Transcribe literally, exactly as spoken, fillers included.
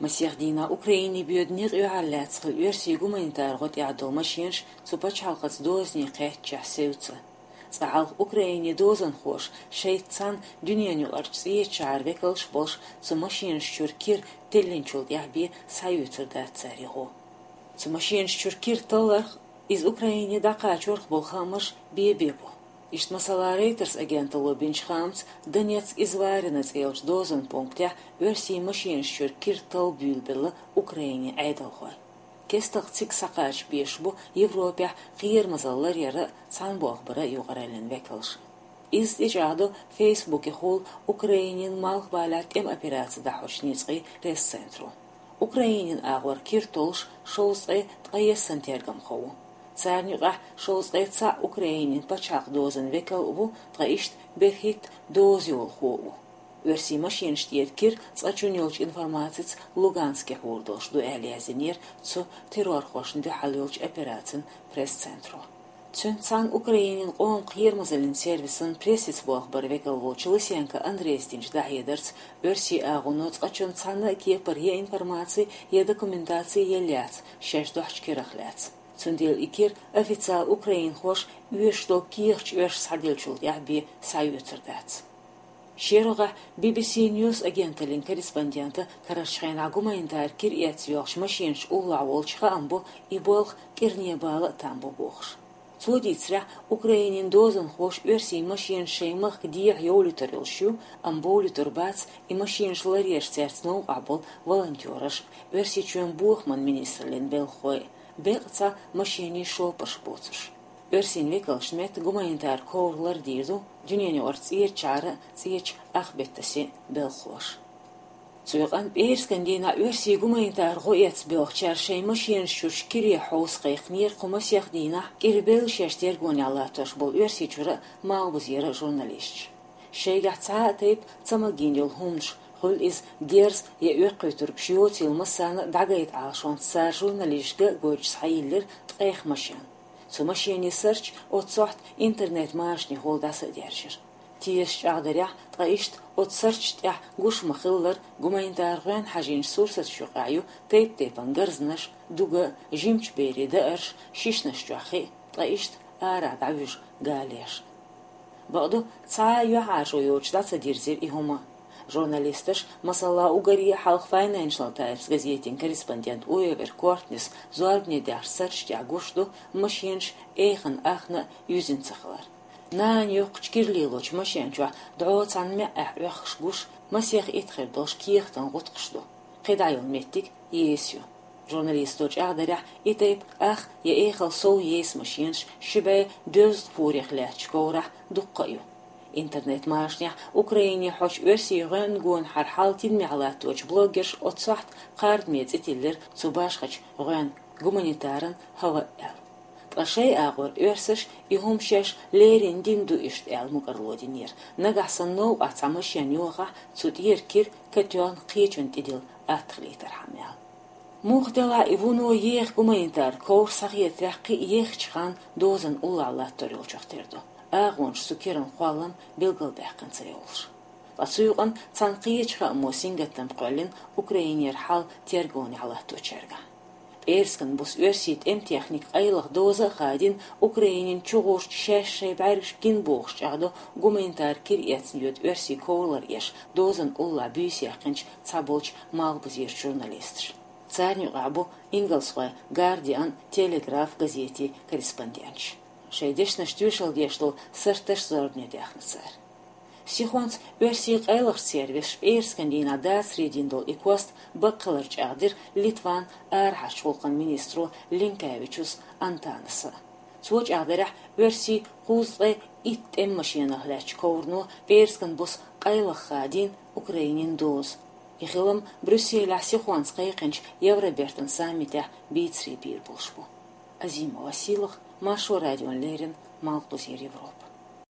Масех дийнахь Украине боьду некъ юьхьарлаьцна хилла оьрсийн гуманитар гӀо тӀехь долу машенаш цу пачхьалкхаца дозане кхаьччахь севцца. Цкъа хьалха Украинин дозанхоша шайца цхьаьна дуьненаюкъарчу цӀечу шахьаран векалш а болуш, цу машенаш чуьра кира теллинчул тӀаьхьа бен схьаоьцур дац цара и гӀо. Цу машенаш чуьра кира талларх иза Украине дӀакхачорх болу хаамаш бен-бен бу. Иштта, масала, Reuters агенталло бинчу хаамца, Донецк-Изварино цӀе йолчу дозан пунктехь оьрсийн машенаш чуьра кира талла буьйлабелла Украинин Ӏедалхой. Кестта цига схьакхача безаш бу Европехь кхерамазалла ларъяра а, цхьаьна болх бара а юкъараллин векалш. Иза тӀечӀагӀдо Фейсбукехула Украинин малхбалехь тӀеман операци дӀахьочу ницкъийн пресс-центро. Украинин агӀор кира толлуш шовзткъе ткъаесна тергамхо ву. Царна юкъахь шовзткъе цхьаъ Украинин пачхьалкх дозан векал а ву, ткъа иштта берхӀитта доза йолахо а ву. Оьрсийн машенаш тӀера кира, цкъачунна йолчу информацица, Луганске хьур долуш ду аьлла яздинера цу террорхошна дуьхьал йолчу операцин пресс-центро. Цуьнца цхьаьна Украинин къоман кхерамазаллин сервисан прессица болх бар векал волчу Лысенко Андрейс динчу дӀахьедарца, оьрсийн агӀоно цкъачунна цхьанна а кепара я информаци, я документаци елла яц шаьш дохьучу кирах лаьцна. Цундела и кира официал украинхоша оьшуш долу кехаташ оьрсаша схьаделлачул тӀаьхьа бен схьаоьцур дац. ШерогӀехь Би-Би-Си Ньюс агенталлин корреспондента карарчу хенахь гуманитар кира эцна йоьлхучу машенаш уллохь волчу хаам бо, и болх кӀирнебала а там бу бохуш. Цо дийцарехь, Украинин дозанхоша оьрсийн машенаш шайн махка дехьа йовлуьйтур йолуш ю, амма бовлуьйтур бац и машенаш ларъеш цаьрца новкъахь болу волонтераш, Оьрсийчоьнан бохаман министраллин белхахой, беккъа цхьа машенийн шопарш боцуш. Оьрсийн векалшна метта гуманитар ковр лардийр ду дуьненаюкъарчу цӀечу шахьаран а, цӀечу ах беттан син белхахоша. Цу юкъанна пӀераскан дийнахь оьрсийн гуманитар гӀо эцна боьлхучара шайн машенаш чуьра кире хьовса кхайкхинера кху масех дийнахь кӀирбелла шаьш тергонехь латтош болу Оьрсийчуьра а, Малхбузера а журналисташ. Шайгахь цхьа а тайпа ца магийна йолу хӀуманаш, хуьлу иза герз я оьккхуьйтургаш йоцийла массарна а, дӀагайта Ӏалашонца цара журналисташка а гойтуш схьайиллира ткъех машен. Цу машенийн сарч оццу сохьта интернет-машанехула дӀаса а даьржира. Тешаш чӀагӀдарехь, ткъа иштта оцу сарчашна тӀехь гуш ма-хиллара, гуманитар гӀоьнна хьажийначу сурсаташна юкъахь ю тайп-тайпана гарзанаш, дуга а, жимачу берийн даарш, шишанаш чохь хи а, ткъа иштта арахь дӀавуьжу галеш. Бакъду, цхьа а юьхьӀаьржо йоцуш дӀа ца дирзира и хӀума. Журналисташ, масала, уггаре а хьалха Financial Times газетин корреспондент Уэвер Кортнис зорбане даьхначу сарчашна тӀехь гуш ду машенаш эйхана ахна а юьзна ца хилар. Нана йоккхучу кира лелочу машен чохь дӀо цхьана маьӀӀехь Ӏохкуш гуш, масех итт хир долуш кехатан гӀутакхаш ду. КхидӀа йолу меттиг еса ю. Журналисто чӀагӀдарехь, и тайпа ах я эхал сов еса машенаш ши бӀе доьзткъа фурех лаьттачу коврахь дуккха а ю. Интернет-машанехь Украине хьочу оьрсийн гӀоьнна гонахара хьал тидамехь латточу блогерша оццу сохьта кхардаме цӀе тиллира цу башхачу гӀоьнна, гуманитаран хӀаваъ аьлла. Ткъа шайн агӀор оьрсаша и хӀума шаьш леррина дина ду иштта аьлла мукӀарло динера, нагахь санна новкъахь цхьа машен йохахь, цу тӀера кира катоьхна кхечунна тӀедилла атта хилийтархьама аьлла. Муха делахь а, и вуно еха гуманитар ковр схьахетарехь кхин а ехачу ханна дозанна уллохь латтор йолчух тера ду. АгӀонаш цу киран кхоллам билгалбаьккхина ца йолуш. Ткъа цу юкъанна цхьана кхечу хаамо сингаттам кхоьллина Украинера хьал тергонехь латточаьрга. ПӀераскан буса оьрсийн тӀеман техника къайлаха доза а хадийна, Украинин чугӀурчу шаьш шайн бӀаьргаш гина бохуш чӀагӀдо гуманитар кира эцна йоьду оьрсийн ковр ларъеш дозанна уллохь буьйса яьккхинчу цхьаболчу малхбузерчу журналисташа. Царна юкъахь бу ингалсхойн Guardian, Telegraph газетийн корреспонденташ. Шайн дешнаш тоьшалла деш долу сарташ зорбане даьхна цара. Сихонца оьрсийн къайлахчу сервисаша пӀераскан дийнахь дацаре дина долу и кост баккхалар чӀагӀдира Литван арахьарчу гӀуллакхийн министро Линкевичус Антонаса. Цо чӀагӀдарехь, оьрсийн кхузткъе итт тӀеман машенах лаьттачу коврано пӀераскан буса къайлаха хадийна Украинин доза. И хилам Брюсселехь сихонца кхайкхинчу Евробертан саммитехь бийцаре бийр болуш бу. Азима Василах, Маршо радиона леррина, Малхбузера Европа.